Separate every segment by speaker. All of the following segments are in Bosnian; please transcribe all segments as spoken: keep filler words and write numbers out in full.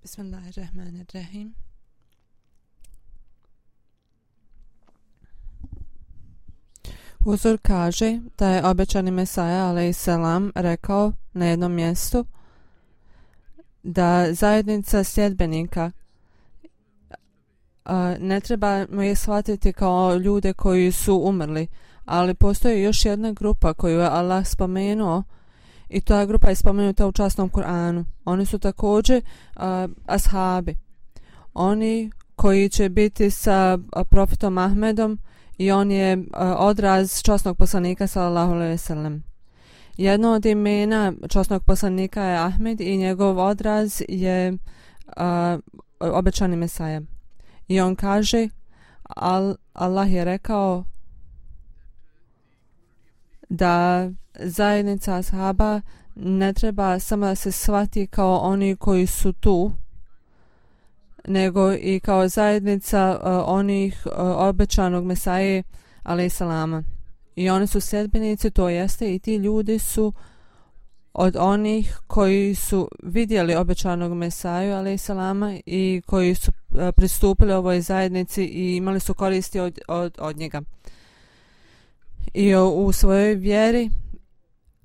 Speaker 1: Bismillahirrahmanirrahim. Huzur kaže da je obećani Mesaja alejselam rekao na jednom mjestu da zajednica sljedbenika a, ne treba mu je shvatiti kao ljude koji su umrli, ali postoji još jedna grupa koju je Allah spomenuo i ta grupa je spomenuta u časnom Kur'anu. Oni su također a, ashabi. Oni koji će biti sa a, profetom Ahmedom i on je a, odraz časnog poslanika sallallahu alejhi ve sellem. Jedno od imena časnog poslanika je Ahmed i njegov odraz je a, obećani Mesaja. I on kaže, Al, Allah je rekao da zajednica ashaba ne treba samo da se shvati kao oni koji su tu, nego i kao zajednica uh, onih uh, obećanog Mesaje alejselama. I oni su sljedbenici, to jeste, i ti ljudi su od onih koji su vidjeli obećanog Mesaju alejselama i koji su uh, pristupili ovoj zajednici i imali su koristi od, od, od njega. I u, u svojoj vjeri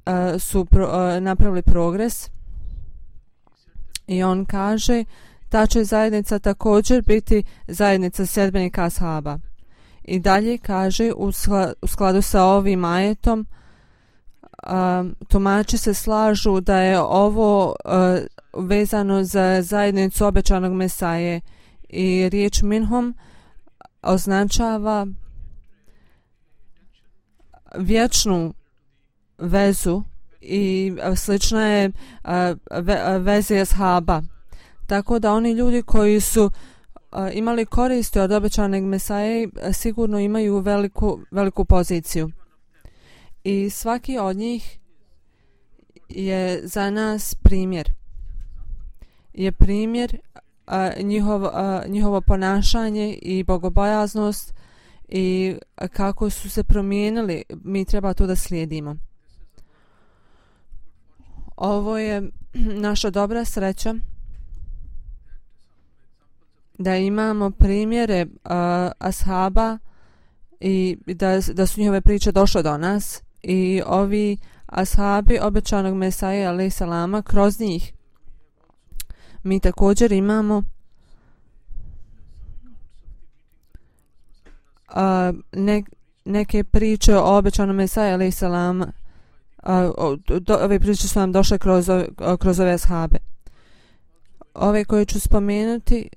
Speaker 1: uh, su pro, uh, napravili progres i on kaže ta će zajednica također biti zajednica sljedbenika ashaba. I dalje kaže u, skla, u skladu sa ovim ajetom uh, tumači se slažu da je ovo uh, vezano za zajednicu obećanog Mesaje i riječ minhum označava vječnu vezu i slična je ve, veze ashaba. Tako da oni ljudi koji su imali koristi od obećanog Mesaje sigurno imaju veliku, veliku poziciju. I svaki od njih je za nas primjer. Je primjer njihov, njihovo ponašanje i bogobojaznost i kako su se promijenili, mi treba to da slijedimo. Ovo je naša dobra sreća da imamo primjere uh, ashaba i da, da su njihove priče došle do nas i ovi ashabi obećanog Mesaje alejselama, kroz njih mi također imamo Uh, ne, neke priče o obećanom Mesaji alejselam. Uh, ove priče su nam došle kroz ove, kroz ove ashabe. Ove koje ću spomenuti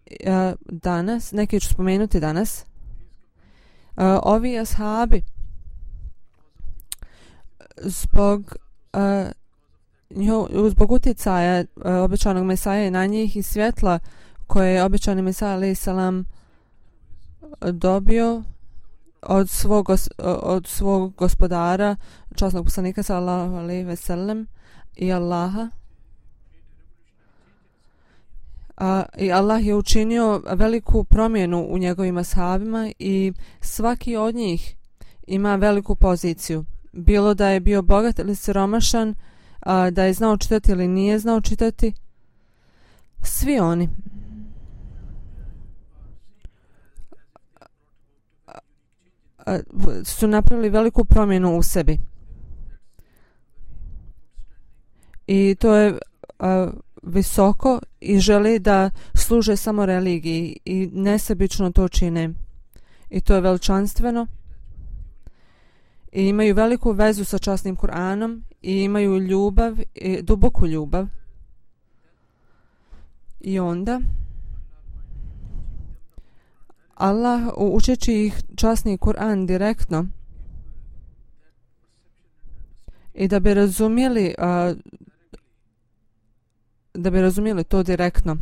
Speaker 1: uh, danas, neke ću spomenuti danas. Uh, ovi ashabi zbog uh, njo, zbog utjecaja uh, obećanog Mesaje na njih i svjetla koje je obećani Mesaja alejselam dobio od svog, od svog gospodara, časnog poslanika sallallahu alejhi ve sellem i Allaha. A, i Allah je učinio veliku promjenu u njegovim ashabima i svaki od njih ima veliku poziciju. Bilo da je bio bogat ili siromašan, a, da je znao čitati ili nije znao čitati, svi oni su napravili veliku promjenu u sebi. I to je a, visoko i želi da služe samo religiji i nesebično to čine. I to je veličanstveno. I imaju veliku vezu sa časnim Kur'anom i imaju ljubav, i duboku ljubav. I onda Allah, učeći ih časni Kur'an direktno i da bi razumjeli a, da bi razumjeli to direktno,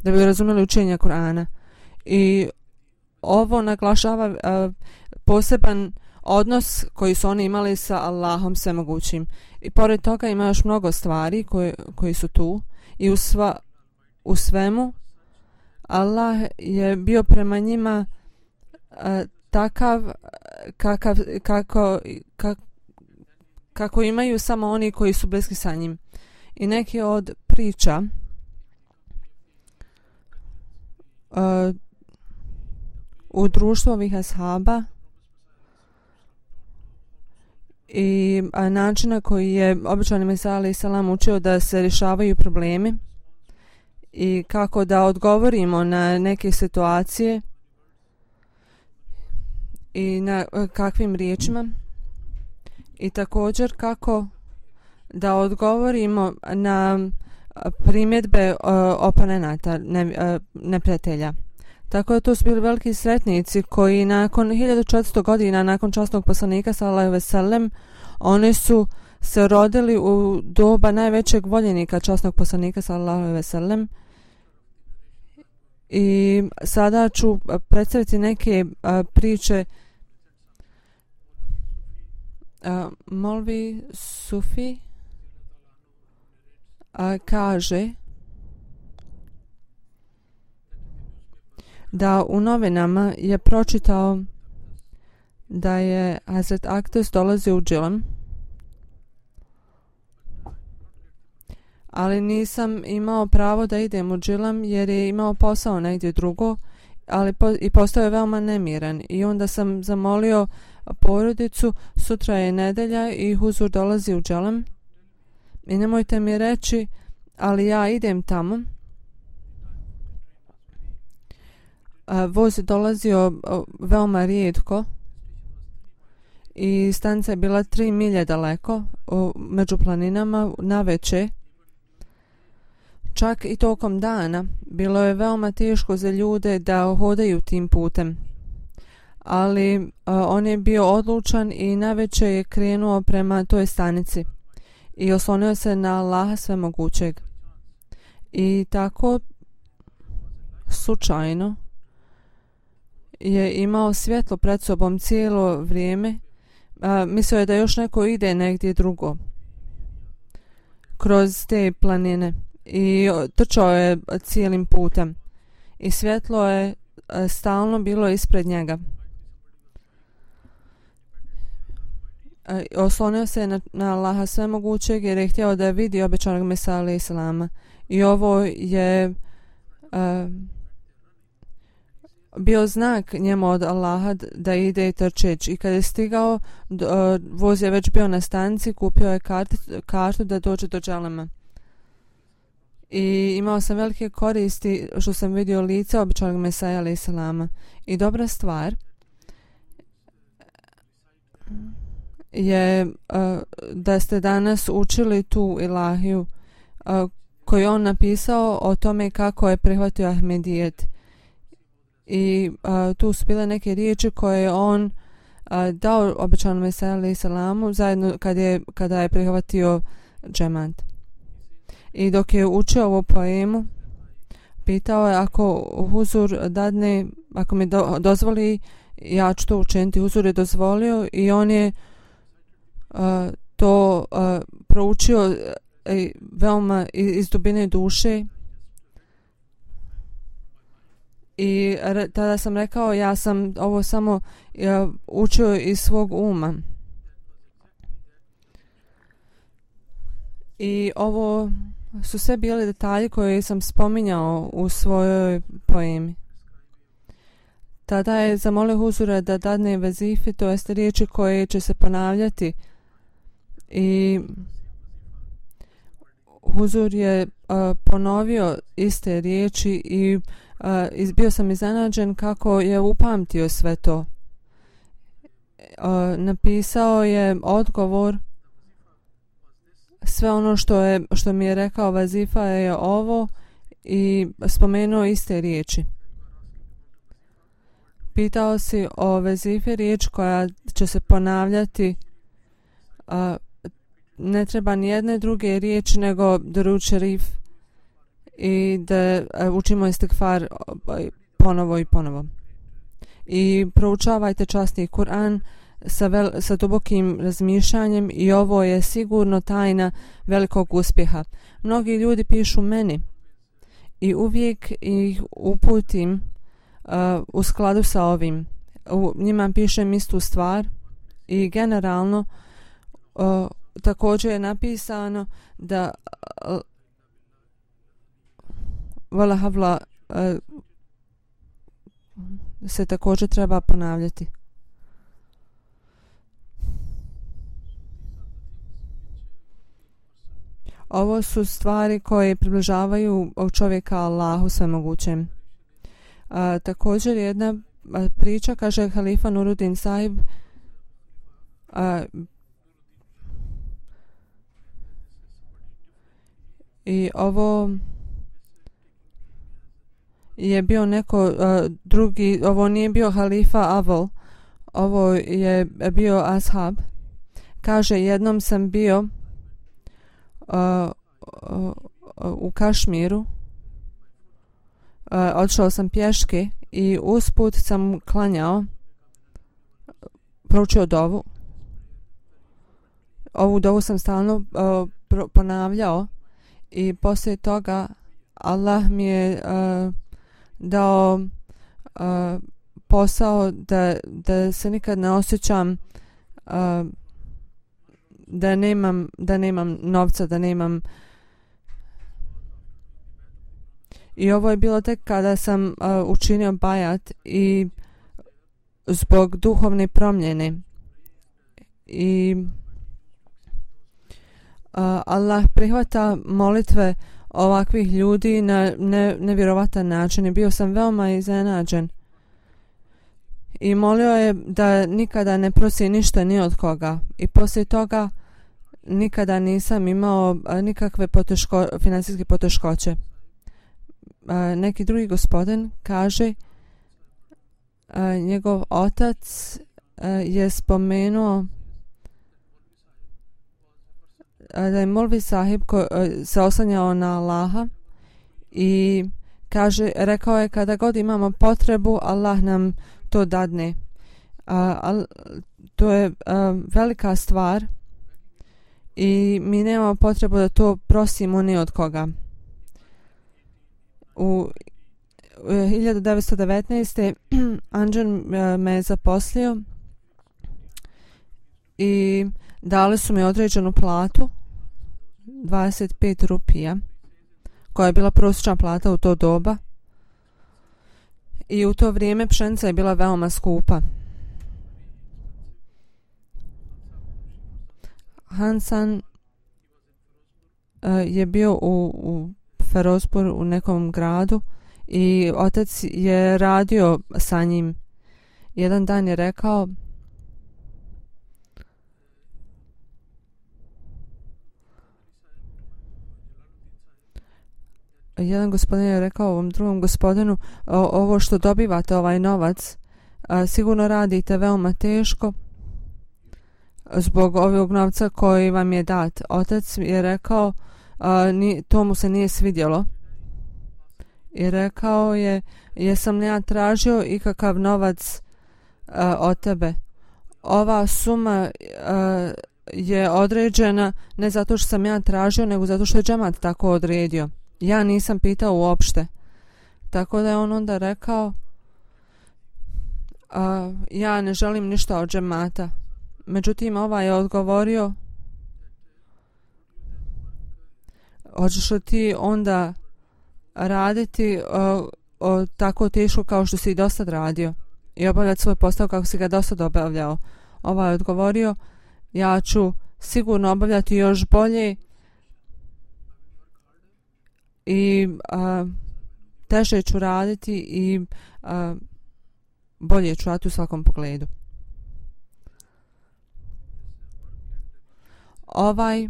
Speaker 1: da bi razumjeli učenja Kur'ana, i ovo naglašava a, poseban odnos koji su oni imali sa Allahom svemogućim. I pored toga ima još mnogo stvari koje, koji su tu i u, sva, u svemu Allah je bio prema njima uh, takav kakav, kako, kak, kako imaju samo oni koji su bliski sa njim. I neke od priča uh, u društvu ovih ashaba i a, načina koji je običani Mesija alejhi selam učio da se rješavaju problemi i kako da odgovorimo na neke situacije i na kakvim riječima i također kako da odgovorimo na primjedbe oponenata, ne, neprijatelja. Tako da to su bili veliki sretnici koji nakon hiljadu četiristo godina nakon časnog poslanika sallallahu alejhi ve sellem oni su se rodili u doba najvećeg voljenika časnog poslanika sallallahu alejhi ve sellem. I sada ću predstaviti neke a, priče. A, Molvi Sufi a, kaže da u novinama je pročitao da je Hazret Aktes dolazio u Džilam, ali nisam imao pravo da idem u Džilam jer je imao posao negdje drugo, ali po, i postao je veoma nemiran. I onda sam zamolio porodicu, sutra je nedelja i huzur dolazi u Džilam i nemojte mi reći, ali ja idem tamo. Voz je dolazio veoma rijetko i stanica je bila tri milje daleko među planinama naveče. Čak i tokom dana bilo je veoma teško za ljude da hodaju tim putem. Ali uh, on je bio odlučan i naveče je krenuo prema toj stanici i oslonio se na Allaha svemogućeg. I tako slučajno je imao svjetlo pred sobom cijelo vrijeme. A, mislio je da još neko ide negdje drugo kroz te planine i trčao je cijelim putem i svjetlo je stalno bilo ispred njega. A, oslonio se na, na Allaha svemogućeg jer je htio da vidi obećanog Mesija alejhi selama i ovo je a, bio znak njemu od Allaha da ide trčeć. I kad je stigao, voz je već bio na stanici, kupio je kartu, kartu da dođe do Dželema. I imao sam velike koristi što sam vidio lice običanog Mesija alejhi selama. I dobra stvar je uh, da ste danas učili tu ilahiju uh, koju on napisao o tome kako je prihvatio Ahmedijet. I uh, tu su bile neke riječi koje je on uh, dao obećanom Mesiji alejhi selamu zajedno kad je, kada je prihvatio džemat. I dok je učio ovu poemu, pitao je ako huzur dadne, ako mi do, dozvoli, ja ću to učiniti. Huzur je dozvolio i on je uh, to uh, proučio uh, veoma iz dubine duše. I re, tada sam rekao, ja sam ovo samo ja, učio iz svog uma. I ovo su sve bili detalji koje sam spominjao u svojoj poemi. Tada je zamolio huzura da dadne vazife, to jest riječi koje će se ponavljati. I huzur je uh, ponovio iste riječi i uh, bio sam iznenađen kako je upamtio sve to. Uh, napisao je odgovor. Sve ono što je što mi je rekao vazifa je ovo i spomenuo iste riječi. Pitao si o vazifi, riječ koja će se ponavljati. Uh, ne treba ni jedne druge riječi nego Durud Šerif i da uh, učimo istigfar ponovo i ponovo. I proučavajte časni Kur'an sa, vel, sa dubokim razmišljanjem i ovo je sigurno tajna velikog uspjeha. Mnogi ljudi pišu meni i uvijek ih uputim uh, u skladu sa ovim. U njima pišem istu stvar i generalno uh, također je napisano da uh, vala havla uh, se također treba ponavljati. Ovo su stvari koje približavaju čovjeka Allahu svemogućem. A, također jedna priča, kaže halifa Nuruddin Sahib, a, i ovo je bio neko uh, drugi, ovo nije bio halifa Aval, ovo je bio ashab. Kaže, jednom sam bio uh, uh, u Kašmiru, uh, odšao sam pješke i usput sam klanjao, proučio dovu. Ovu dovu sam stalno uh, ponavljao i poslije toga Allah mi je uh, dao uh, posao da, da se nikad ne osjećam uh, da nemam da nemam novca, da nemam. I ovo je bilo tek kada sam uh, učinio bajat i zbog duhovne promjene. I uh, Allah prihvata molitve ovakvih ljudi na ne, nevjerovatan način i bio sam veoma iznenađen. I molio je da nikada ne prosi ništa ni od koga. I poslije toga nikada nisam imao nikakve poteško, financijske poteškoće. A, neki drugi gospodin kaže, a, njegov otac a, je spomenuo da je Molvi Sahib ko, se oslanjao na Allaha i kaže, rekao je, kada god imamo potrebu, Allah nam to dadne. A, a, to je a, velika stvar i mi nemamo potrebu da to prosimo ni od koga. U hiljadu devetsto devetnaeste. Anđan me je zaposlio i dali su mi određenu platu, dvadeset pet rupija, koja je bila prosječna plata u to doba. I u to vrijeme pšenica je bila veoma skupa. Hansan uh, je bio u, u Ferozpur, u nekom gradu, i otac je radio sa njim. Jedan dan je rekao, jedan gospodin je rekao ovom drugom gospodinu, o, ovo što dobivate, ovaj novac, a, sigurno radite veoma teško zbog ovog novca koji vam je dat. Otac je rekao, a, ni, to mu se nije svidjelo i rekao je, jesam li ja tražio ikakav novac a, od tebe? Ova suma a, je određena ne zato što sam ja tražio, nego zato što je džemat tako odredio. Ja nisam pitao uopšte. Tako da je on onda rekao, a, ja ne želim ništa od džemata. Međutim, ovaj je odgovorio, hoćeš li ti onda raditi o, o, tako teško kao što si i dosad radio i obavljati svoj posao kako si ga dosad obavljao? Ovaj je odgovorio, ja ću sigurno obavljati još bolje i a, teže ću raditi i a, bolje ću raditi u svakom pogledu. Ovaj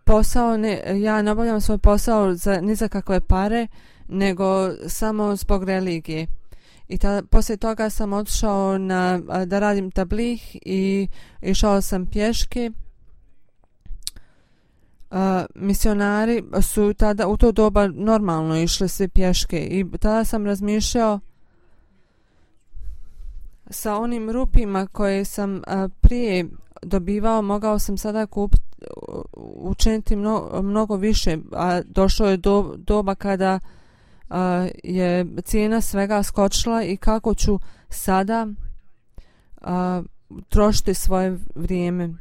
Speaker 1: posao, ne, ja ne obavljam svoj posao za, ni za kakve pare, nego samo zbog religije. I ta, poslije toga sam otišao na, da radim tablih i išao sam pješke. Uh, misionari su tada u to doba normalno išli svi pješke i tada sam razmišljao sa onim rupima koje sam uh, prije dobivao, mogao sam sada kupiti, učiniti mnogo, mnogo više, a došlo je do, doba kada uh, je cijena svega skočila i kako ću sada uh, trošiti svoje vrijeme.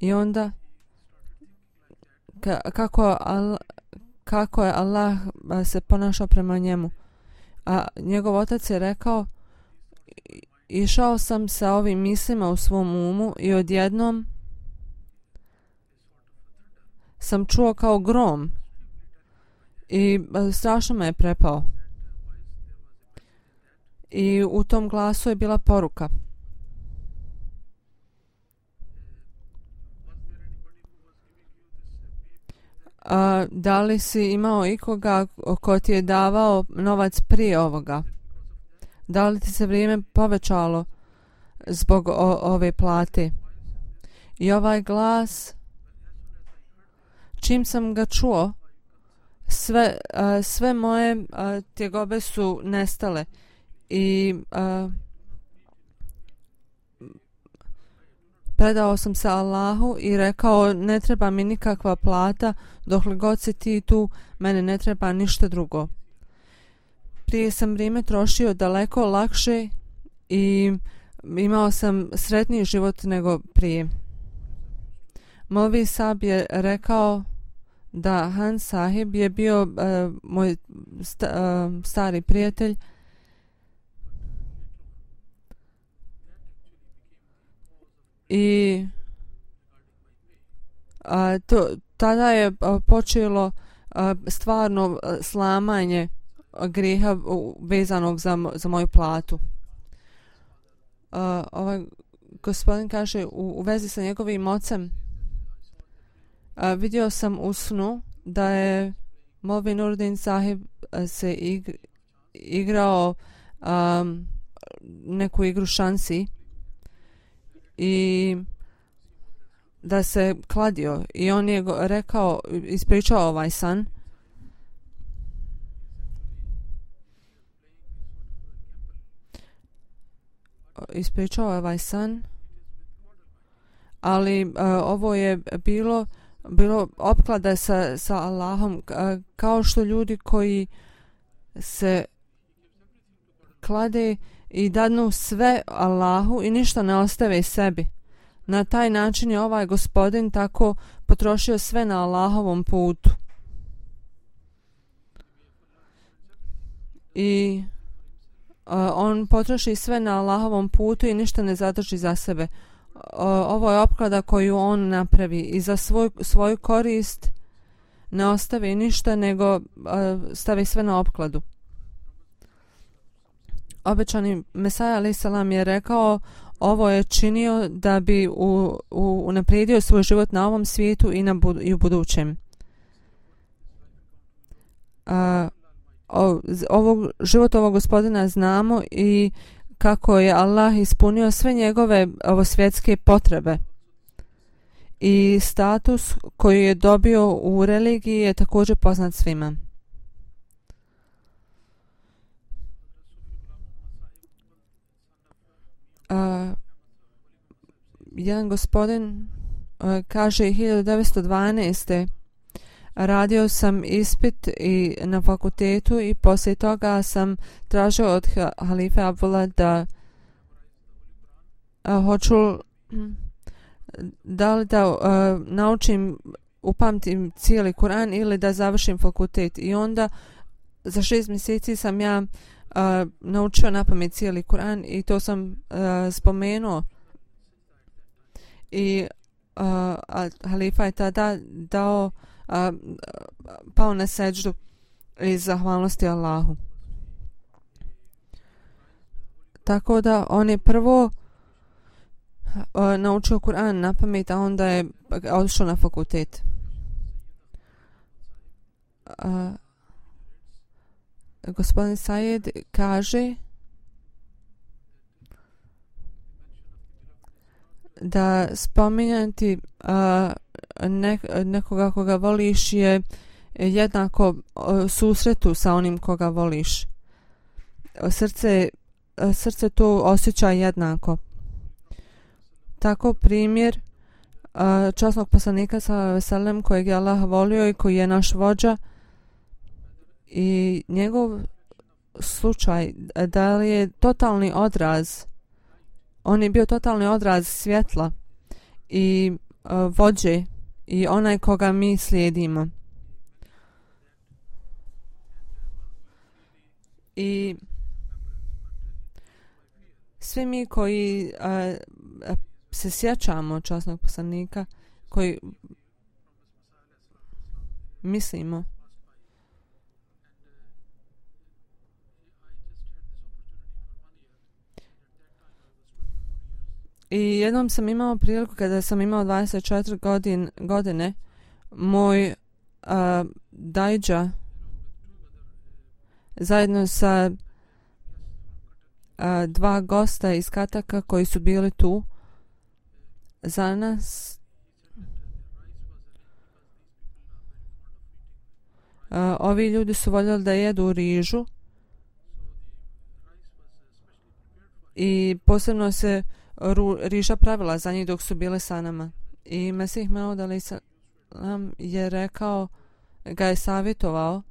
Speaker 1: I onda kako, al, kako je Allah se ponašao prema njemu. A njegov otac je rekao, išao sam sa ovim mislima u svom umu i odjednom sam čuo kao grom i strašno me je prepao. I u tom glasu je bila poruka. A, da li si imao ikoga ko ti je davao novac prije ovoga? Da li ti se vrijeme povećalo zbog o, ove plate? I ovaj glas, čim sam ga čuo, sve, a, sve moje a, tjegobe su nestale i a, predao sam se Allahu i rekao, ne treba mi nikakva plata, dokle god si ti tu, mene ne treba ništa drugo. Prije sam vrijeme trošio daleko lakše i imao sam sretniji život nego prije. Molvi Sab je rekao da Han Sahib je bio uh, moj sta, uh, stari prijatelj i a, to, tada je a, počelo a, stvarno a, slamanje grijeha vezanog za, za moju platu. A, ovaj gospodin kaže u, u vezi sa njegovim ocem, a, vidio sam u snu da je Molvi Nuruddin Sahib se ig, igrao a, neku igru šansi i da se kladio i on je rekao, ispričao ovaj san ispričao ovaj san ali uh, ovo je bilo bilo opklada sa, sa Allahom uh, kao što ljudi koji se klade i dadnu sve Allahu i ništa ne ostave sebi. Na taj način je ovaj gospodin tako potrošio sve na Allahovom putu. I uh, on potroši sve na Allahovom putu i ništa ne zadrži za sebe. Uh, ovo je opklada koju on napravi i za svoj, svoju korist ne ostavi ništa nego uh, stavi sve na opkladu. Obećani Mesaja alaih salam je rekao, ovo je činio da bi u, u, unaprijedio svoj život na ovom svijetu i, na bud, i u budućem. A, o, ovog, život ovog gospodina znamo i kako je Allah ispunio sve njegove ovo svjetske potrebe. I status koji je dobio u religiji je također poznat svima. Uh, jedan gospodin uh, kaže hiljadu devetsto dvanaeste radio sam ispit i na fakultetu i poslije toga sam tražio od halife Abdullah da uh, hoću da li da uh, naučim upamtim cijeli Kur'an ili da završim fakultet i onda za šest mjeseci sam ja Uh, naučio napamet cijeli Kur'an i to sam uh, spomenuo i uh, a, halifa je tada dao uh, pao na seđdu iz zahvalnosti Allahu. Tako da on je prvo uh, naučio Kur'an napamet, a onda je otišao na fakultet. Uh, Gospodin Sajed kaže da spominjati uh, nek, nekoga koga voliš je jednako uh, susretu sa onim koga voliš. Srce, uh, srce to osjeća jednako. Tako primjer uh, časnog poslanika sallallahu alejhi ve sellem kojeg je Allah volio i koji je naš vođa i njegov slučaj da li je totalni odraz, on je bio totalni odraz svjetla i uh, vođe i onaj koga mi slijedimo. I svi mi koji a, a, se sjećamo časnog poslanika, koji mislimo i jednom sam imao priliku kada sam imao dvadeset četiri godin, godine, moj a, dajđa zajedno sa a, dva gosta iz Kataka koji su bili tu za nas, a, ovi ljudi su voljeli da jedu rižu i posebno se ru, riža pravila za njih dok su bile sa nama. I Mesih Maud alejhi selam je rekao, ga je savjetovao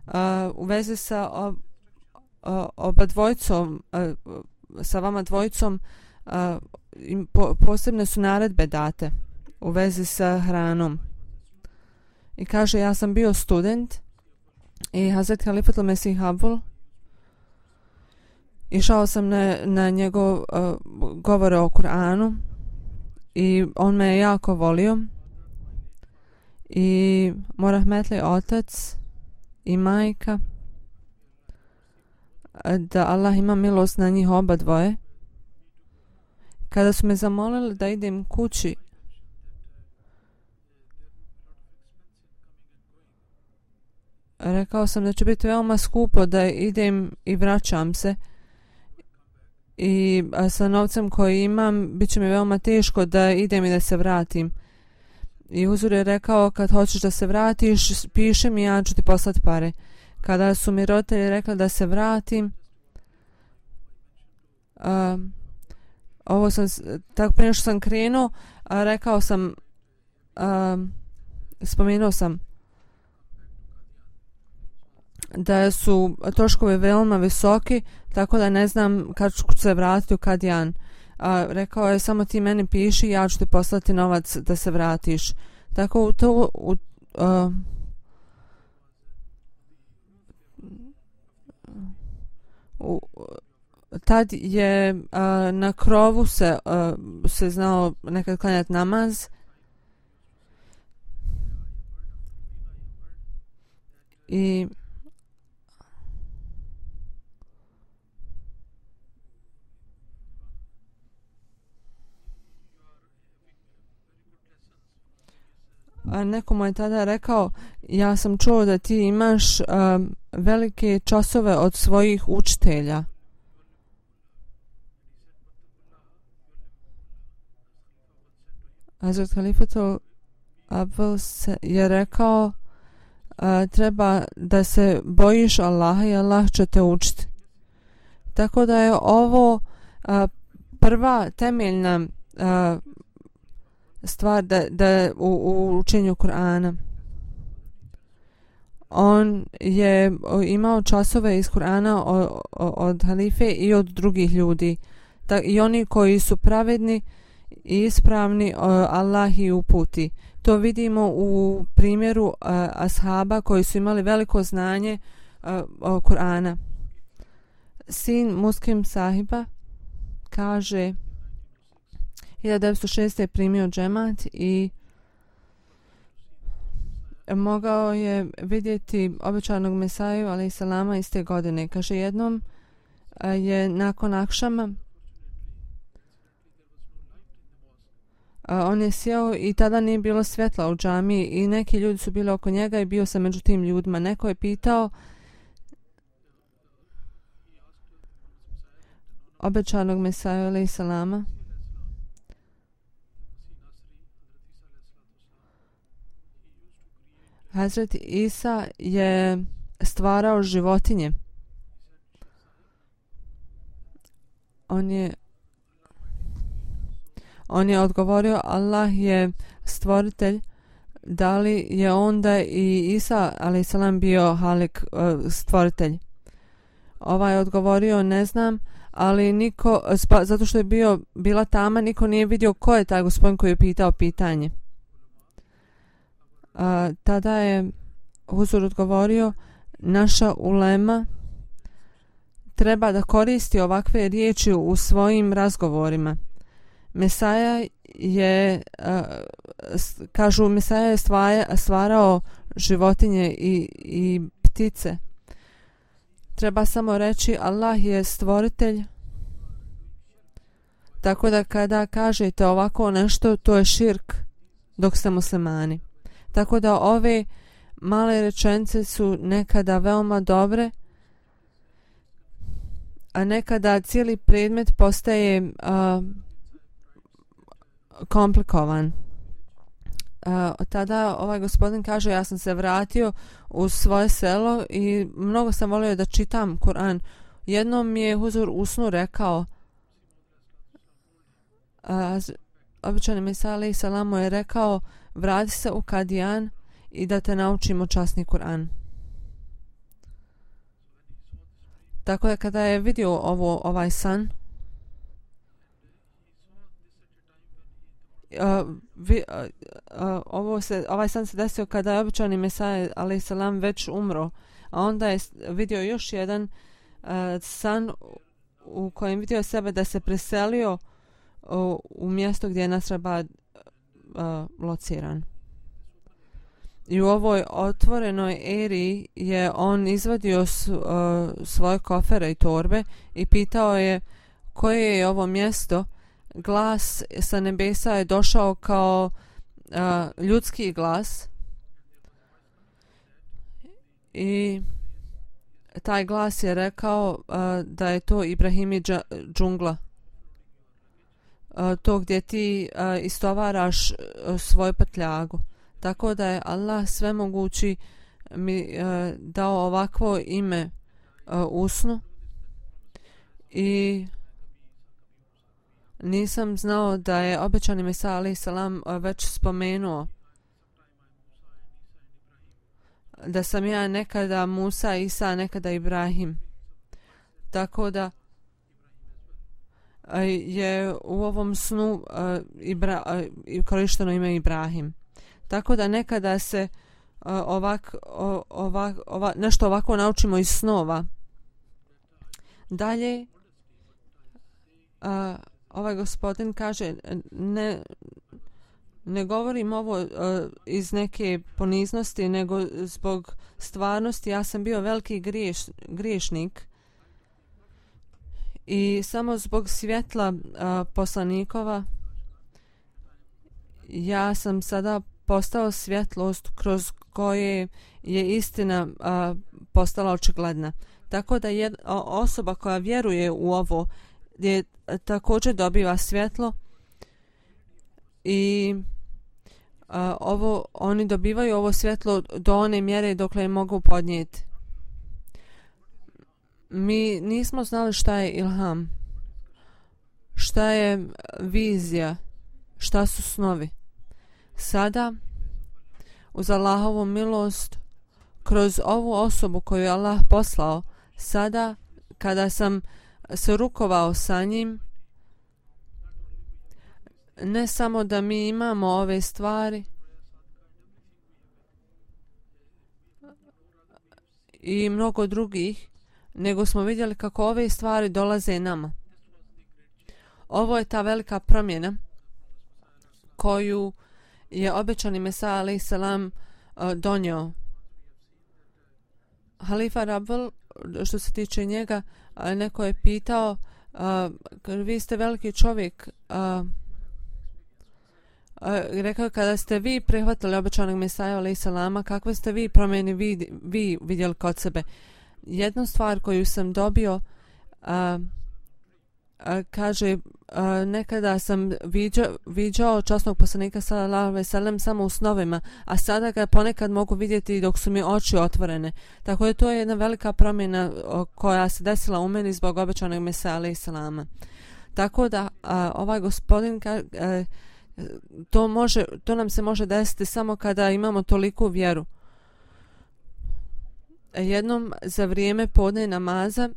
Speaker 1: uh, u vezi sa ob, uh, oba dvojicom, uh, sa vama dvojicom, uh, im po, posebne su naredbe date u vezi sa hranom. I kaže, ja sam bio student i Hazret Halifatul Mesih Abul, išao sam na, na njegov uh, govore o Kur'anu i on me je jako volio i moj rahmetli otac i majka, da Allah ima milost na njih oba dvoje, kada su me zamolili da idem kući, rekao sam da će biti veoma skupo da idem i vraćam se i sa novcem koji imam bit će mi veoma teško da idem i da se vratim. I Huzur je rekao, kad hoćeš da se vratiš, piši mi, ja ću ti poslati pare. Kada su mi roditelji rekli da se vratim, uh, ovo sam, tako prije što sam krenuo, uh, rekao sam, uh, spomenuo sam da su troškovi veoma visoki, tako da ne znam kad ću se vratiti u Kadijan. A, rekao je, samo ti meni piši, ja ću ti poslati novac da se vratiš. Tako u to u, uh, u, tad je uh, na krovu se, uh, se znao nekad klanjati namaz i a neko mu je tada rekao, ja sam čuo da ti imaš uh, velike časove od svojih učitelja. Hazrat Halifatul Abul je rekao, uh, treba da se bojiš Allaha i Allah će te učiti. Tako da je ovo uh, prva temeljna uh, stvar da, da u, u učenju Kur'ana. On je imao časove iz Kur'ana od, od halife i od drugih ljudi. Da, i oni koji su pravedni i ispravni, Allah ih uputi. To vidimo u primjeru uh, ashaba koji su imali veliko znanje uh, o Kur'ana. Sin Muskim sahiba kaže, hiljadu devetsto šeste je primio džemat i mogao je vidjeti obećanog Mesaju alejhi selama iste godine. Kaže, jednom je nakon akšama on je sjeo i tada nije bilo svjetla u džamiji i neki ljudi su bili oko njega i bio sam među tim ljudima. Neko je pitao obećanog Mesaju alejhi selama, Hazret Isa je stvarao životinje. On je on je odgovorio, Allah je stvoritelj. Da li je onda i Isa alejhi selam bio Halik, stvoritelj? Ovaj je odgovorio, ne znam, ali niko, zato što je bio bila tama, niko nije vidio ko je taj gospodin koji je pitao pitanje. A, tada je Huzur odgovorio, naša ulema treba da koristi ovakve riječi u svojim razgovorima. Mesaja je, kažu, Mesaja je stvarao životinje i, i ptice. Treba samo reći Allah je stvoritelj. Tako da kada kažete ovako nešto, to je širk dok ste muslimani. Tako da ove male rečenice su nekada veoma dobre, a nekada cijeli predmet postaje uh, komplikovan. Uh, tada ovaj gospodin kaže, ja sam se vratio u svoje selo i mnogo sam volio da čitam Kur'an. Jednom mi je Huzur u snu rekao, uh, običani Mesija alejhi selam mu je rekao, vrati se u Kadijan i da te naučimo časni Kur'an. Tako da kada je vidio ovo, ovaj san, Uh, vi, uh, uh, ovo se, ovaj san se desio kada je običani Mesija alejhi selam već umro, a onda je vidio još jedan uh, san u kojem vidio sebe da se preselio uh, u mjesto gdje je Nasrabad uh, lociran. I u ovoj otvorenoj eri je on izvadio s, uh, svoje kofere i torbe i pitao je koje je ovo mjesto. Glas sa nebesa je došao kao uh, ljudski glas i taj glas je rekao uh, da je to Ibrahimi džungla, uh, to gdje ti uh, istovaraš uh, svoju prtljagu. Tako da je Allah svemogući mi uh, dao ovakvo ime uh, usnu i nisam znao da je obećani Mesija alejhi selam već spomenuo da sam ja nekada Musa, Isa, nekada Ibrahim. Tako da je u ovom snu uh, Ibra, uh, korišteno ime Ibrahim. Tako da nekada se uh, ovak, o, ovak, ovak, nešto ovako naučimo iz snova. Dalje uh, ovaj gospodin kaže, ne, ne govorim ovo uh, iz neke poniznosti, nego zbog stvarnosti. Ja sam bio veliki griješ, griješnik i samo zbog svjetla uh, poslanikova ja sam sada postao svjetlost kroz koje je istina uh, postala očigledna. Tako da je osoba koja vjeruje u ovo je također dobiva svjetlo i a, ovo oni dobivaju ovo svjetlo do one mjere dokle mogu podnijeti. Mi nismo znali šta je ilham, šta je vizija, šta su snovi. Sada uz Allahovu milost kroz ovu osobu koju je Allah poslao, sada kada sam se rukovao sa njim, ne samo da mi imamo ove stvari i mnogo drugih, nego smo vidjeli kako ove stvari dolaze nama. Ovo je ta velika promjena koju je obećani Mesija alejhi selam uh, donio. Halifa Rabel, što se tiče njega, uh, neko je pitao, uh, vi ste veliki čovjek, uh, uh, rekao kada ste vi prihvatili obećanog Mesija alejhi selama, kakve ste vi promjene vi, vi vidjeli kod sebe? Jednu stvar koju sam dobio, uh, uh, kaže, uh, nekada sam viđao, viđao časnog poslanika sallallahu alejhi ve sellem samo u snovima, a sada ga ponekad mogu vidjeti dok su mi oči otvorene. Tako da to je jedna velika promjena uh, koja se desila u meni zbog obećanog Mesija alejhi selama. Tako da uh, ovaj gospodin ka, uh, to može, to nam se može desiti samo kada imamo toliku vjeru. Jednom za vrijeme podne namaza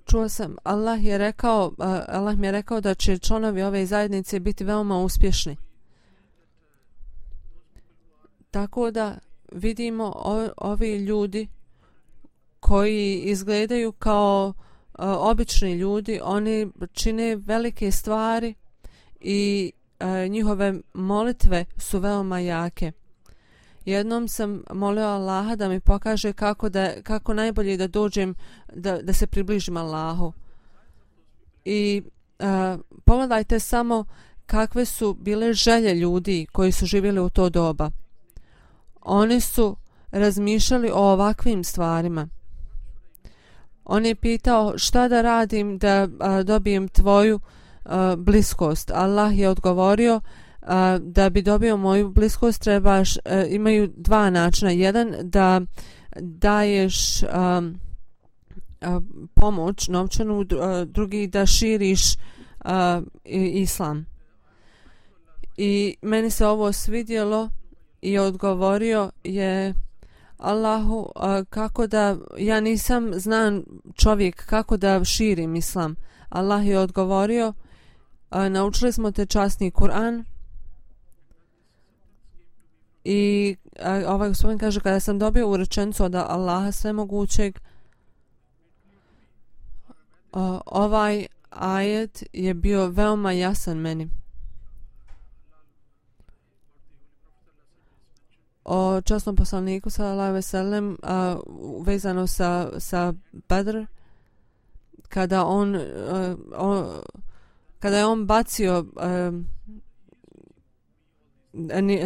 Speaker 1: čuo sam, Allah je rekao, uh, Allah mi je rekao da će članovi ove zajednice biti veoma uspješni. Tako da vidimo o, ovi ljudi koji izgledaju kao uh, obični ljudi, oni čine velike stvari i uh, njihove molitve su veoma jake. Jednom sam molio Allaha da mi pokaže kako, da, kako najbolje da dođem, da, da se približim Allahu. I uh, pogledajte samo kakve su bile želje ljudi koji su živjeli u to doba. Oni su razmišljali o ovakvim stvarima. On je pitao šta da radim da a, dobijem tvoju a, bliskost. Allah je odgovorio a, da bi dobio moju bliskost trebaš, a, imaju dva načina. Jedan da daješ a, a, pomoć novčanu, a, drugi da širiš a, islam. I meni se ovo svidjelo i odgovorio je Allahu, a, kako da, ja nisam znan čovjek, kako da širim islam. Allah je odgovorio, a, naučili smo te časni Kur'an i a, ovaj gospodin kaže, kada sam dobio u rečenicu od Allaha svemogućeg, a, ovaj ajet je bio veoma jasan meni. O časnom poslaniku sallallahu alejhi ve sellem vezano sa sa Badr, kada on, uh, on kada je on bacio uh,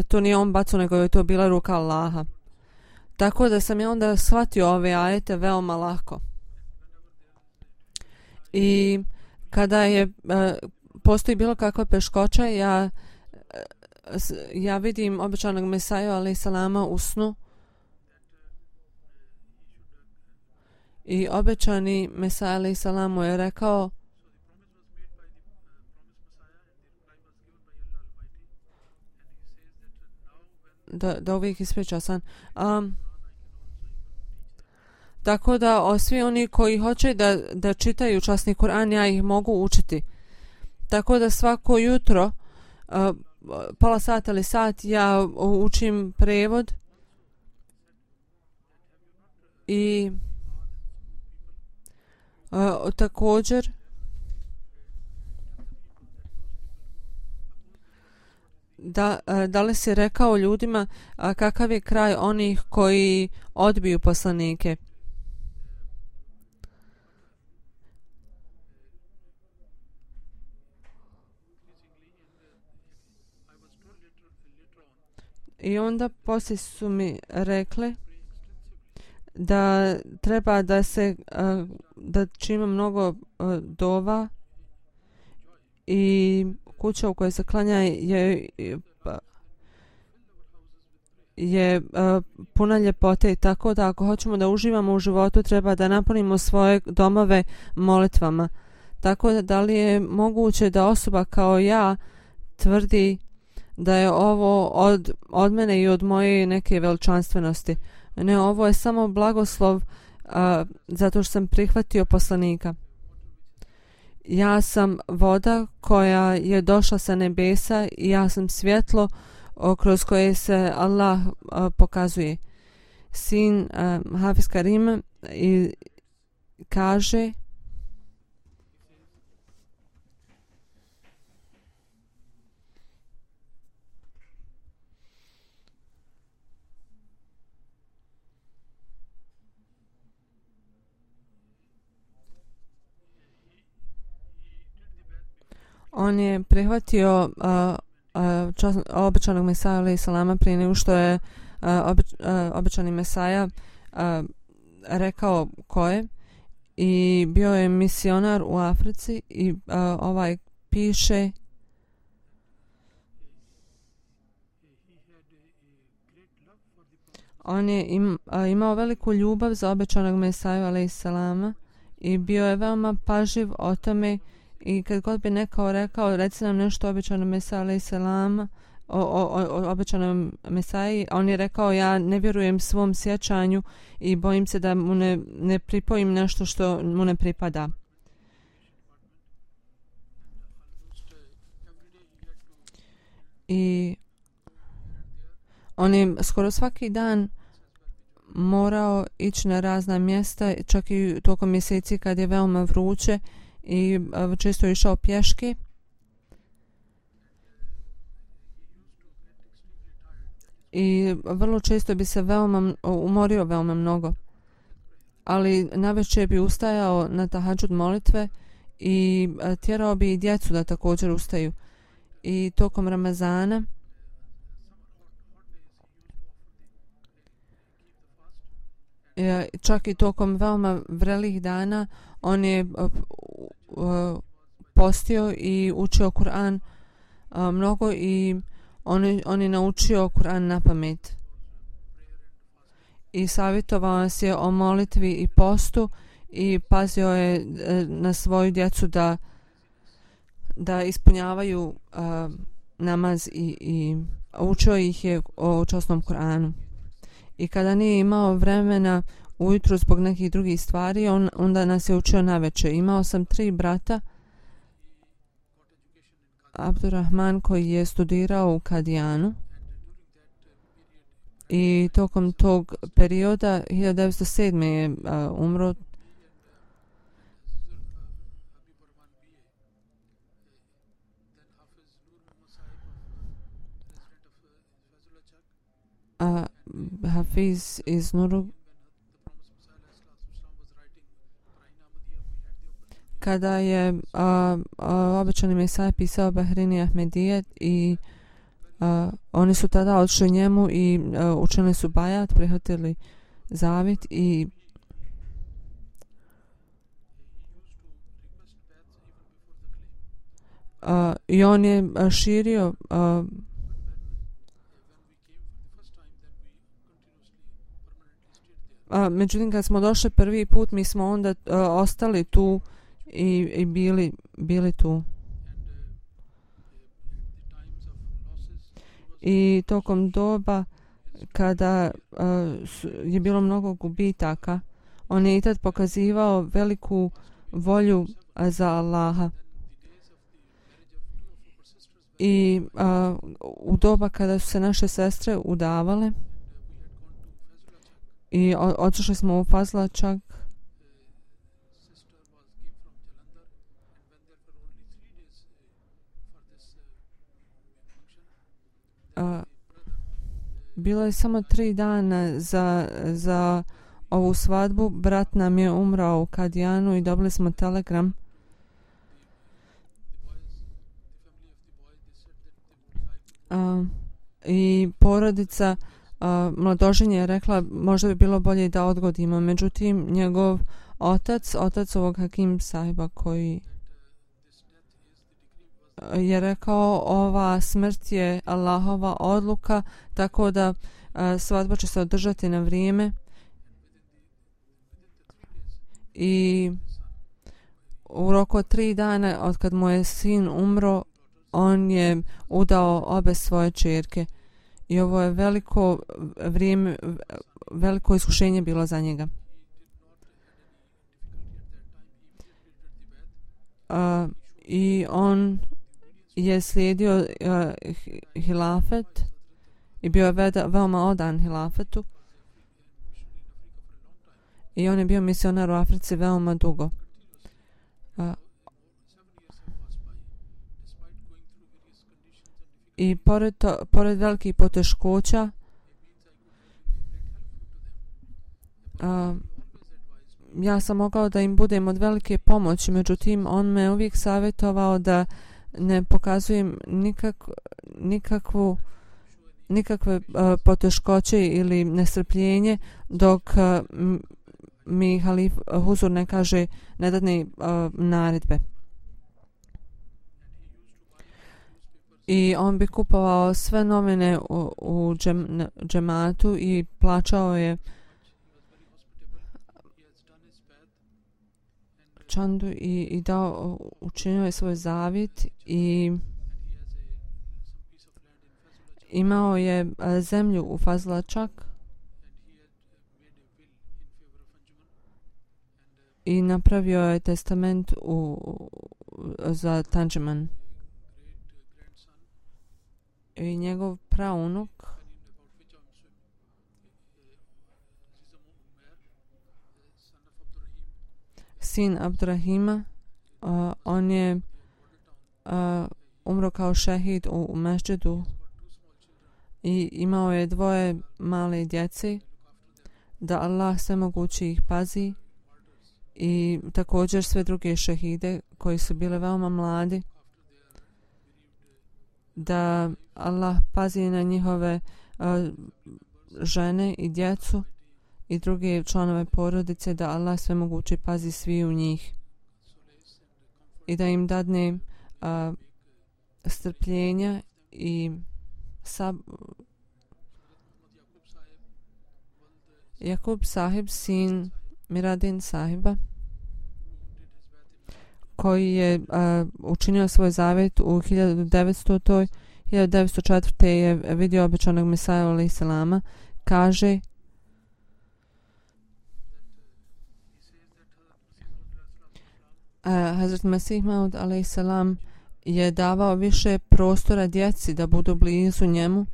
Speaker 1: to nije on bacio, nego je to bila ruka Allaha. Tako da sam ja onda shvatio ove ajete veoma lako. I kada je uh, postoji bilo kakva peškoća, ja ja vidim obećanog Mesaju alejhi selama u snu i obećani Mesaja alejhi selam mu je rekao da, da uvijek ispriča san. Um, tako da o svi oni koji hoće da, da čitaju časni Kur'an, ja ih mogu učiti. Tako da svako jutro uh, pola sata ili sat ja učim prevod i uh, također da, uh, da li si rekao ljudima uh, kakav je kraj onih koji odbiju poslanike? I onda poslije su mi rekli da treba da se da čima mnogo dova i kuća u kojoj se klanja je je puna ljepote i tako da ako hoćemo da uživamo u životu treba da napunimo svoje domove molitvama. Tako da da li je moguće da osoba kao ja tvrdi da je ovo od, od mene i od moje neke veličanstvenosti. Ne, ovo je samo blagoslov a, zato što sam prihvatio poslanika. Ja sam voda koja je došla sa nebesa i ja sam svjetlo o, kroz koje se Allah a, pokazuje. Sin a, Hafiz Karima i kaže on je prihvatio uh, uh, čas, obećanog Mesaja alejhi selama prije nego što je uh, obeč, uh, obećani Mesaja uh, rekao ko je i bio je misionar u Africi i uh, ovaj piše on je im, uh, imao veliku ljubav za obećanog Mesaju alejhi selama i bio je veoma pažljiv o tome. I kad god bi neko rekao, reci nam nešto o obećanom Mesaju alejhi selam, o, o, o obećanom Mesaji, on je rekao, ja ne vjerujem svom sjećanju i bojim se da mu ne, ne pripojim nešto što mu ne pripada. I On je skoro svaki dan morao ići na razna mjesta, čak i tokom mjeseci kad je veoma vruće, i često je išao pješke. I vrlo često bi se veoma umorio veoma mnogo. Ali navečer bi ustajao na tahadžud molitve i tjerao bi i djecu da također ustaju. I tokom Ramazana čak i tokom veoma vrelih dana on je postio i učio Kur'an mnogo i on, on je naučio Kur'an na pamet. I savjetovao nas je o molitvi i postu i pazio je na svoju djecu da da ispunjavaju uh, namaz i, i učio ih je o časnom Kur'anu. I kada nije imao vremena ujutro zbog nekih drugih stvari, on, onda nas je učio navečer. Imao sam tri brata. Abdurrahman koji je studirao u Kadijanu i tokom tog perioda hiljadu devetsto sedme je uh, umro. A Hafiz iz Nuru, kada je a, a, obećani Mesaj pisao Bahrini Ahmedijet i a, oni su tada odšli njemu i a, učinili su bajat, prihvatili zavjet i a, i on je širio a, A, međutim kad smo došli prvi put mi smo onda uh, ostali tu i, i bili, bili tu i tokom doba kada uh, je bilo mnogo gubitaka on je i tad pokazivao veliku volju uh, za Allaha i uh, u doba kada su se naše sestre udavale i otišli smo u Fazla čak a, bilo je samo tri dana za, za ovu svadbu. Brat nam je umrao u Kadijanu i dobili smo telegram a, i porodica Uh, mladoženja je rekla možda bi bilo bolje da odgodimo, međutim njegov otac, otac ovog Hakim sahiba koji je rekao ova smrt je Allahova odluka, tako da uh, svadba će se održati na vrijeme i u roku od tri dana od kad mu je sin umro on je udao obe svoje ćerke. I ovo je veliko vrijeme, veliko iskušenje bilo za njega. Uh, I on je slijedio uh, hilafet i bio je veda, veoma odan hilafetu. I on je bio misionar u Africi veoma dugo. Uh, I pored, to, pored velikih poteškoća a, ja sam mogao da im budem od velike pomoći, međutim on me uvijek savjetovao da ne pokazujem nikak, nikakvu nikakve a, poteškoće ili nestrpljenje dok a, mi halif Huzur ne kaže ne dadne a, naredbe. I on bi kupovao sve novine u, u džem, džematu i plaćao je čandu i, i dao, učinio je svoj zavjet i imao je zemlju u Fazla čak i napravio je testament u, za Tanđeman. I njegov praunuk sin Abdurrahima, uh, on je uh, umro kao šehid u, u mešđidu i imao je dvoje male djece, da Allah svemogući ih pazi, i također sve druge šehide koji su bile veoma mladi, da Allah pazi na njihove uh, žene i djecu i druge članove porodice, da Allah svemogući pazi svi u njih i da im dadne uh, strpljenja i sab... Jakub sahib, sin Miradin sahiba, koji je uh, učinio svoj zavjet u hiljadu devetstotoj. hiljadu devetsto četvrte. je vidio obećanog Mesaja alejhi selama, kaže uh, Hazrat Mesih Maud alejhi selam je davao više prostora djeci da budu blizu njemu,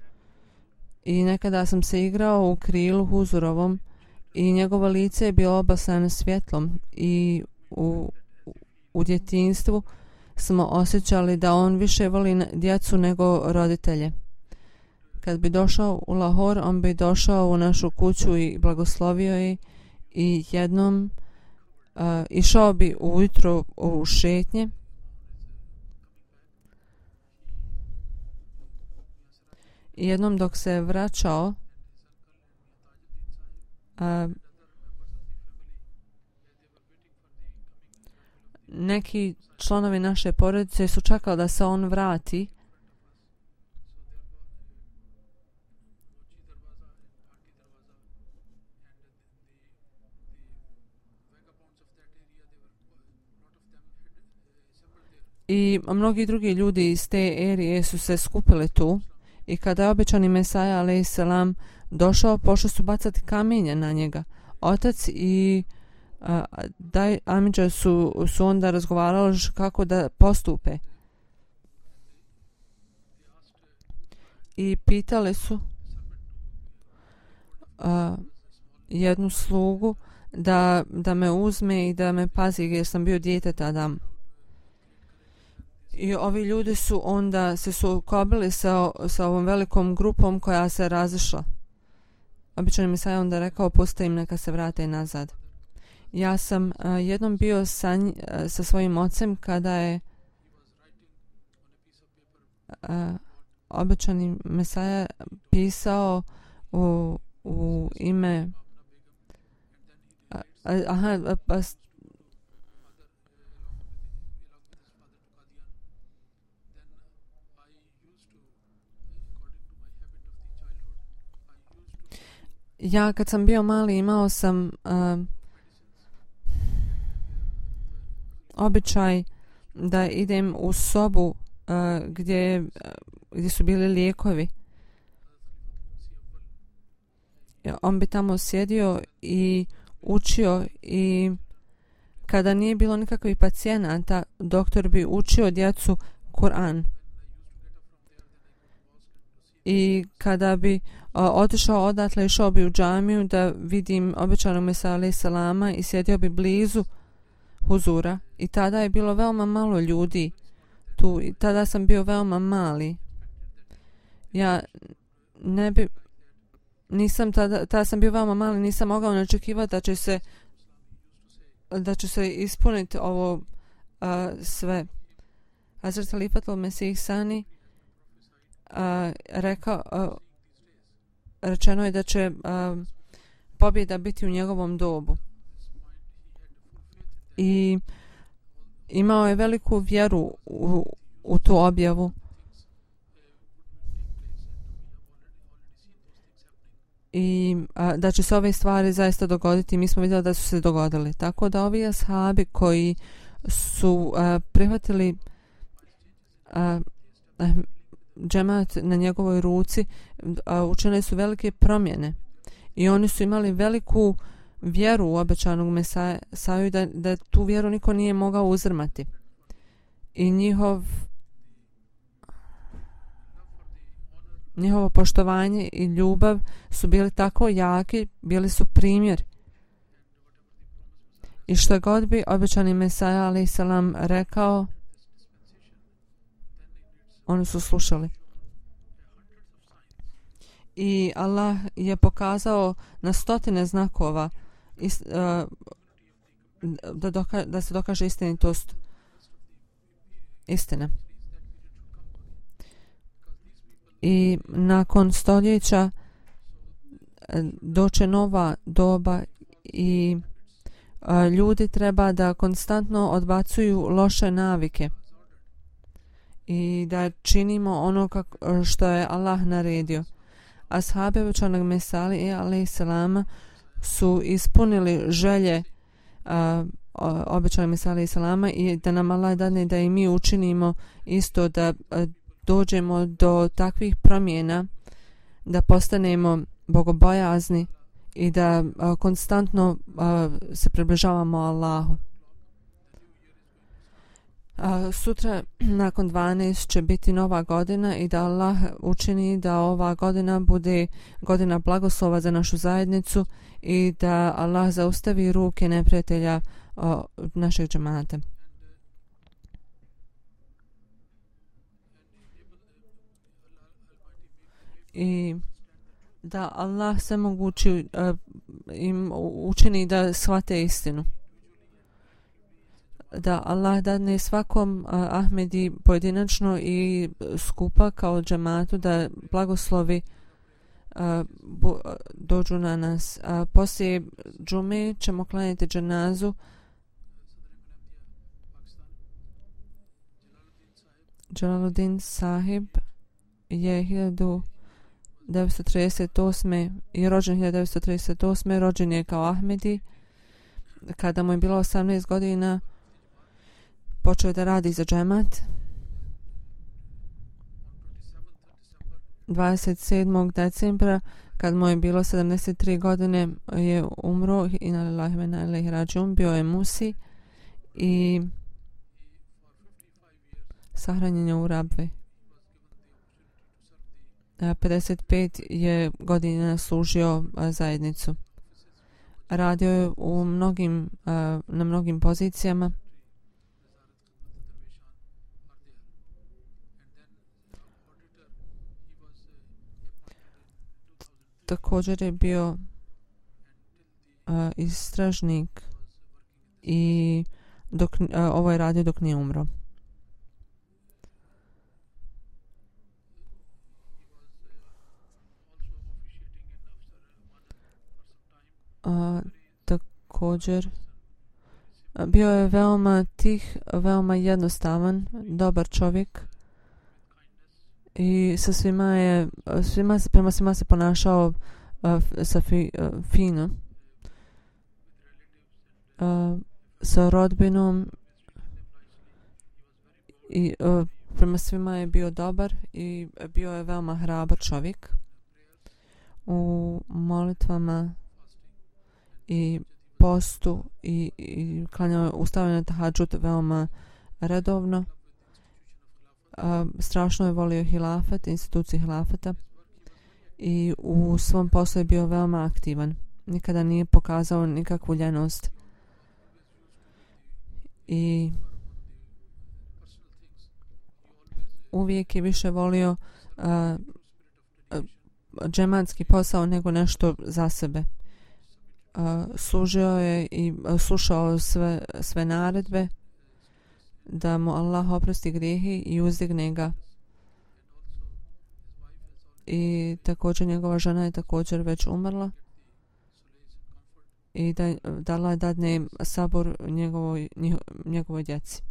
Speaker 1: i nekada sam se igrao u krilu Huzurovom i njegovo lice je bilo obasano svjetlom, i u, u djetinjstvu smo osjećali da on više voli djecu nego roditelje. Kad bi došao u Lahor, on bi došao u našu kuću i blagoslovio je, i jednom uh, išao bi ujutro u šetnje i jednom dok se vraćao, uh, neki članovi naše porodice su čekali da se on vrati, i mnogi drugi ljudi iz te erije su se skupili tu, i kada je obećani Mesaja alejhi selam došao, pošli su bacati kamenje na njega. Otac i a, daj Amidža su, su onda razgovarali kako da postupe. I pitali su a, jednu slugu da, da me uzme i da me pazi, jer sam bio dijete tada. I ovi ljudi su onda se sukobili sa, sa ovom velikom grupom koja se razišla. Običan Mesaja onda rekao, pusti im, neka se vrate nazad. Ja sam uh, jednom bio sa, uh, sa svojim ocem kada je uh, običani Mesaja pisao u, u ime uh, aha, uh, ja kad sam bio mali imao sam uh, običaj da idem u sobu uh, gdje, uh, gdje su bili lijekovi. On bi tamo sjedio i učio, i kada nije bilo nikakvih pacijenata, doktor bi učio djecu Kur'an. I kada bi uh, otišao odatle, išao bi u džamiju da vidim obećanog Mesaja alejhi selama i sjedio bi blizu huzura, i tada je bilo veoma malo ljudi tu, i tada sam bio veoma mali. Ja ne bi nisam tada, tada sam bio veoma mali, nisam mogao očekivati da će se da će se ispuniti ovo uh, sve. Hazrat Halifatul Mesih Sani uh, rekao uh, rečeno je da će uh, pobjeda biti u njegovom dobu. I imao je veliku vjeru u, u tu objavu. I a, da će se ove stvari zaista dogoditi. Mi smo vidjeli da su se dogodili. Tako da ovi ashabi koji su a, prihvatili a, a, džemat na njegovoj ruci, a, učinili su velike promjene. I oni su imali veliku vjeru u obećanog Mesaju, da, da tu vjeru niko nije mogao uzrmati. I njihov njihovo poštovanje i ljubav su bili tako jaki, bili su primjer. I što god bi obećani Mesaja alejhi selam rekao, oni su slušali. I Allah je pokazao na stotine znakova ist, uh, da, doka, da se dokaže istinitost istine. I nakon stoljeća doće nova doba i a, ljudi treba da konstantno odbacuju loše navike i da činimo ono kako, što je Allah naredio. Ashabi obećanog Mesija alejhi selama su ispunili želje a, obećanog Mesija alejhi selama i da nam Allah dadne da i mi učinimo isto, da a, dođemo do takvih promjena da postanemo bogobojazni i da a, konstantno a, se približavamo Allahu. A, sutra nakon dvanaest će biti nova godina i da Allah učini da ova godina bude godina blagoslova za našu zajednicu i da Allah zaustavi ruke neprijatelja a, našeg džemata. I da Allah se mogući uh, im učini da shvate istinu. Da Allah dadne svakom uh, Ahmedi pojedinačno i skupa kao džematu da blagoslovi uh, bu, uh, dođu na nas. Uh, poslije džume ćemo klanjati dženazu Jalaluddin Sahib je hiljadu devetsto trideset osme i rođen hiljadu devetsto trideset osme rođen je kao Ahmedi. Kada mu je bilo osamnaest godina počeo je da radi za džemat. dvadeset sedmog decembra kad mu je bilo sedamdeset tri godine je umro, inna lillahi wa inna ilaihi rađiun, bio je Musi i sahranjen je u Rabvi. pedeset pet je godina služio zajednicu. Radio je u mnogim, na mnogim pozicijama. Također je bio istražnik i dok, ovo je radio dok nije umro. A, također bio je veoma tih, veoma jednostavan, dobar čovjek i sa svima je svima, prema svima se ponašao a, sa fi, a, fino a, sa rodbinom i a, prema svima je bio dobar i bio je veoma hrabar čovjek. U molitvama i postu i, i klanjao ustavljanje na tahadžud veoma redovno. A, strašno je volio hilafet, instituciju hilafeta i u svom poslu je bio veoma aktivan. Nikada nije pokazao nikakvu ljenost i uvijek je više volio a, a, džematski posao nego nešto za sebe. Uh, služio je i uh, slušao sve, sve naredbe da mu Allah oprosti grijehi i uzdigne ga. I također njegova žena je također već umrla i da, da Allah dadne sabor njegovoj, njegovoj djeci.